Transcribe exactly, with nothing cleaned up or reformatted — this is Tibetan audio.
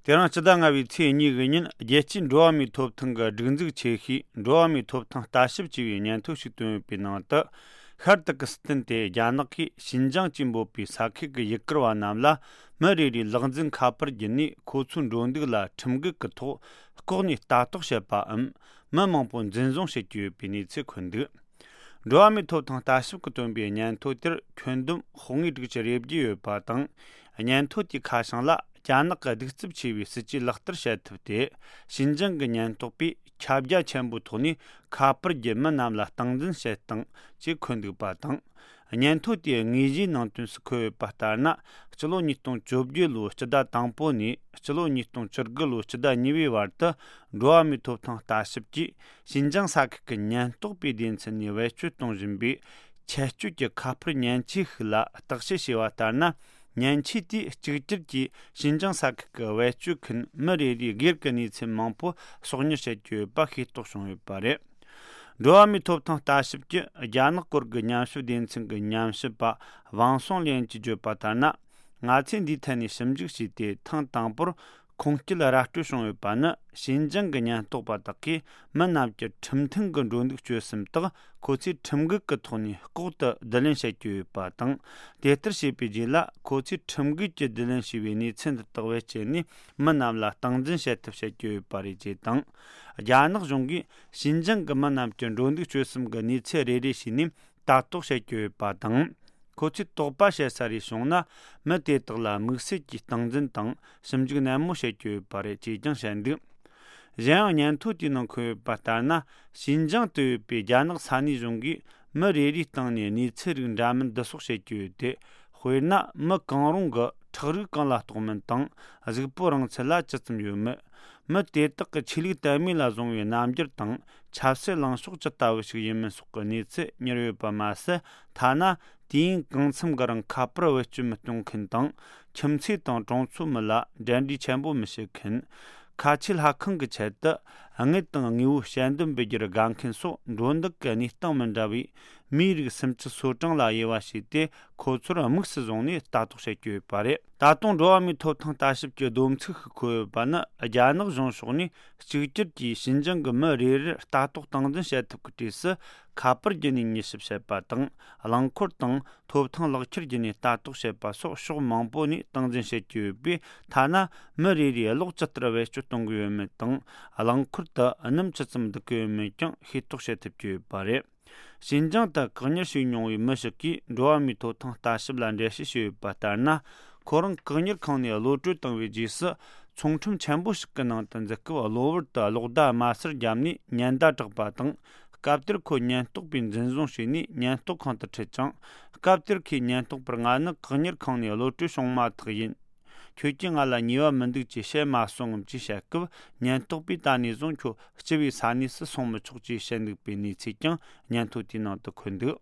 དེ་རིང་སྤྱི་ཟླ་ལྔ་བའི་ཚེས་གཉིས་ཀྱི་ཉིན། རྒྱལ་སྤྱིའི་འགྲོ་བ་མིའི་ཐོབ་ཐང་གི་སྒྲིག་འཛུགས་ཆེ་ཤོས་འགྲོ་བ་མིའི་ཐོབ་ཐང་ལྟ་ཞིབ་ཅེས་པའི་སྙན་ཐོ་ཞིག་བཏོན་ཡོད་པའི་ནང་དུ། ཤར་ཏུར་ཀི་སི་ཐན་དེ་རྒྱ་ནག་གིས་ཞིན་ཅང་ཅེས་འབོད་པའི་ས་ཁུལ་གྱི་ཡུལ་གུར་བ་རྣམས་ལ་མི་རེ་རེའི་ལག་འཛིན་ཁ་པར་བརྒྱུད་ནས། ཁོ་ཚོའི་འགྲོ་འདུག་ལ་ཁྲིམས་འགལ་གྱི་ཐོག་ལྐོག་ནས་ལྟ་རྟོག་བྱེད་པའམ། མི་མང་པོ་འཛིན་བཟུང་བྱེད་ཀྱི་ཡོད་པའི་གནས་ཚུལ་འཁོད་འདུག་འགྲོ་བ་མིའི་ཐོབ་ཐང་ལྟ་ཞིབ་ཀྱིས་བཏོན་པའི་སྙན་ཐོ་དེར་ཁྱོན་བསྡོམས་ཤོག་ངོས་དྲུག་ཅུ་རེ་བརྒྱད་ཡོད་པ་དང་། སྙན་ཐོ་དེའི་ཁ་བྱང་ལ་རྒྱ་ནག་གི་གདུག་རྩུབ་ཆེ་བའི་སྲིད་ཇུས་ལག་བསྟར་བྱེད་ཐབས་ཏེ། ཞིན་ཅང་གི་ཉེན་རྟོག་པས་ཁྱབ་རྒྱ་ཆེན་པོའི་ཐོག་ནས་ཁ་པར་བརྒྱུད་མི་རྣམས་ལ་སྟངས་འཛིན་བྱེད་སྟངས་ཅེས་འཁོད་འདུག་པ་དང་། སྙན་ཐོ་དེའི་དངོས་གཞིའི་ནང་དོན་སུ་འཁོད་ཡོད་པ་ལྟར་ན། སྤྱི་ལོ་ཉིས་སྟོང་བཅོ་བརྒྱད་ལོའི་སྤྱི་ཟླ་དང་པོ་ནས་སྤྱི་ལོ་ཉིས་སྟོང་བཅུ་དགུ་ལོའི་སྤྱི་ཟླ་གཉིས་པའི་བར་དུ། འགྲོ་བ་མིའི་ཐོབ་ཐང་ལྟ་ཞིབ་ཀྱིས་ཞིན་ཅང་ས་ཁུལ་གྱི་ཉེན་རྟོག་པའི་སྡེ་ཚན་ནས་བེད་སྤྱོད་གཏོང་བཞིན་པའི་ཆད་གཅོད་ཀྱི་ཁ་པར་མཉེན་ཆས་ཤིག་ལ་བརྟག་དཔྱད་བྱས་པ་ལྟར་ན། མཉེན་ཆས་དེས་གཅིག་གྱུར་གྱིས་ཞིན་ཅང་ས་ཁུལ་གྱི་བེད་སྤྱོད་མཁན་མི་རེ་རེའི་སྒེར་གྱི་གནས་ཚུལ་མང་པོ་སོགས་ཉར་བྱེད་ཀྱི་ཡོད་པ་ཤེས་རྟོགས་བྱུང་ཡོད་པ་རེད། འགྲོ་བ་མིའི་ཐོབ་ཐང་ལྟ་ཞིབ་ཀྱི་རྒྱ་ནག་སྐོར་གྱི་ཉམས་ཞིབ་སྡེ་ཚན་གྱི་ཉམས་ཞིབ་པ་ཝང་སུང་ལིན་གྱིས་བརྗོད་པ་ལྟར་ན། ང་ཚོས་འདིའི་ཐད་ནས་ཞིབ་འཇུག་བྱས་ཏེ། ཐེངས་དང་པོར་ཁུངས་སྐྱེལ་ར་སྤྲོད་བྱུང་ཡོད་པ་ནི། ཞིན་ཅང་གི་ཉེན་རྟོག་པ་དག་གིས་མི་རྣམས་ཀྱི་ཁྲིམས་མཐུན་གྱི་འགྲོ་འདུག་སྤྱོད་གསུམ་དག་ཁོ་ཚོས་ཁྲིམས་འགལ་གྱི་ཐོག་ནས་ལྐོག་ཏུ་བསྡུ་ལེན་བྱེད་ཀྱི་ཡོད་པ་དང་། དེ་ལྟར་བྱས་པའི་རྗེས་ལ། ཁོ་ཚོས་ཁྲིམས་འགལ་གྱིས་བསྡུ་ལེན་བྱས་པའི་གནས་ཚུལ་འདི་དག་བེད་སྤྱད་ནས། མི་རྣམས་ལ་སྟངས་འཛིན་བྱེད་ཐབས་བྱེད་ཀྱི་ཡོད་པ་རེད་ཅེས་དང་། རྒྱ་ནག་གཞུང་གིས་ཞིན་ཅང་གི་མི་རྣམས་ཀྱི་འགྲོ་འདུག་སྤྱོད་གསུམ་གྱི་གནས་ཚུལ་རེ་རེ་བྱས་ནས་ལྟ་རྟོག་བྱེད་ཀྱི་ཡོད་པ་དང་། ཁོ་ཚོས་དོགས་པ་བྱེད་ས་རེ་བྱུང་ན། མི་དེ་དག་ལ་དམིགས་བསལ་གྱིས་སྟངས་འཛིན་དང་ཞིབ་འཇུག་ནན་མོ་བྱེད་ཀྱི་ཡོད་པ་རེད་ཅེས་ཀྱང་བཤད་འདུག་གཞན་ཡང་། སྙན་ཐོ་དེའི་ནང་འཁོད་ཡོད་པ་ལྟར་ན། ཞིན་ཅང་དུ་ཡོད་པའི་རྒྱ་ནག་ས་གནས་གཞུང་གིས་མི་རེ་རེའི་སྟེང་ནས་གནས་ཚུལ་རིགས་འདྲ་མིན་བསྡུ་གསོག་བྱེད་ཀྱི་ཡོད་དེ། དཔེར་ན། མི་གང་རུང་གི་ཁྲག་རིགས་གང་ལ་གཏོགས་མིན་དང་། གཟུགས་པོ་རིང་ཚད་ལ་ཇི་ཙམ་ཡོད་མེད། མི་དེ་དག་གི་ཆོས་ལུགས་དད་མོས་ལ་བཟུང་བའི་རྣམ་འགྱུར་དང་། ཆབ་སྲིད་ལངས་ཕྱོགས་ཇི་ལྟ་བུ་ཞིག་ཡིན་མིན་སོགས་ཀྱི་གནས་ཚུལ་ཉར་ཡོད་པ་མ་ཟད། ཐ་ན་དུས་ཡུན་གང་འཚམ་གྱི་རིང་ཁ་པར་བེད་སྤྱོད་མི་གཏོང་མཁན་དང་། ཁྱིམ་མཚེས་དང་གྲོང་ཚོའི་མི་ལ་འབྲེལ་འདྲིས་ཆེན་པོ་མི་བྱེད་མཁན། ཁ་ཆེའི་ལྷ་ཁང་གི་ཆེད་དུ་དངུལ་དང་དངོས་པོའི་དཔྱད་འདེམས་འབུལ་རྒྱུར་དགའ་མཁན་སོགས། འགྲོ་འདུག་གི་གནས་སྟངས་མི་འདྲ་བའི་མིའི་རིགས་སུམ་ཅུ་སོ་གྲངས་ལ་དབྱེ་བ་ཕྱེས་ཏེ། ཁོ་ཚོར་དམིགས་སུ་བཟུང་ནས་ལྟ་རྟོག་བྱེད་ཀྱི་ཡོད་པ་རེད། ད་དུང་འགྲོ་བ་མིའི་ཐོབ་ཐང་ལྟ་ཞིབ་ཀྱི་བསྡོམས་ཚིག་ཞིག་འཁོད་ཡོད་པ་ནི། རྒྱ་ནག་གཞུང་ཕྱོགས་ནས་གཅིག་གྱུར་གྱིས་ཞིན་ཅང་གི་མི་རེ་རེར་ལྟ་རྟོག་སྟངས་འཛིན་བྱེད་ཐབས་ཀྱི་གྲས་སུ། ཁ་པར་བརྒྱུད་ནས་མཉེས་ཞིབ་བྱེད་པ་དང་། རླངས་འཁོར་དང་ཐོབ་ཐང་ལག་ཁྱེར་བརྒྱུད་ནས་ལྟ་རྟོག་བྱེད་པ་སོགས་ཕྱོགས་མང་པོ་ནས་སྟངས་འཛིན་བྱེད་ཀྱི་ཡོད་པས། ཐ་ན་མི་རེ་རེས་གློག་ཇི་ལྟར་བེད་སྤྱོད་གཏོང་གི་ཡོད་མེད་དང་། རླངས་འཁོར་དུ་སྣུམ་ཇི་ཙམ་འདུག་གི་ཡོད་མེད་ཀྱང་ཤེས་རྟོགས་བྱེད་ཐུབ་ཀྱི་ཡོད་པ་རེད། ཞིན་ཅང་དུ་བཀག་ཉར་བྱས་མྱོང་བའི་མི་ཞིག་གིས་འགྲོ་བ་མིའི་ཐོབ་ཐང་ལྟ་ཞིབ་ལ་འགྲེལ་བཤད་བྱས་ཡོད་པ་ལྟར་ན། ཁོ་རང་བཀག་ཉར་ཁང་ནས་གློད་གྲོལ་བཏང་བའི་རྗེས་སུ། ཚོང་ཁྲོམ་ཆེན་པོ་ཞིག་གི་ནང་དུ་འཛུལ་སྐབས། གློ་བུར་དུ་གློག་བརྡ་དམར་སེར་བརྒྱབ་ནས་ཉེན་བརྡ་བསྒྲགས་པ་དང་། སྐབས་དེར་ཁོ་ཉེན་རྟོག་པས་འཛིན་བཟུང་བྱས་ནས་ཉེན་རྟོག་ཁང་དུ་ཁྲིད་ཅིང་། སྐབས་དེར་ཁོས་ཉེན་རྟོག་པར། ང་ནི་བཀག་ཉར་ཁང་ནས་གློད་གྲོལ་བྱུང་མ་ཐག་ཡིན། ཁྱོད་ཀྱིས་ང་ལ་ཉེས་པ་མི་འདུག་ཅེས་བཤད་མ་སོང་ངམ་ཅེས་བཤད་སྐབས། ཉེན་རྟོག་པས་ད་ནས་བཟུང་ཁྱོད་སྤྱི་པའི་ས་གནས་སུ་སོང་མི་ཆོག་ཅེས་བཤད་འདུག་པའི་གནས་ཚུལ་ཀྱང་སྙན་ཐོ་དེའི་ནང་དུ་འཁོད་འདུག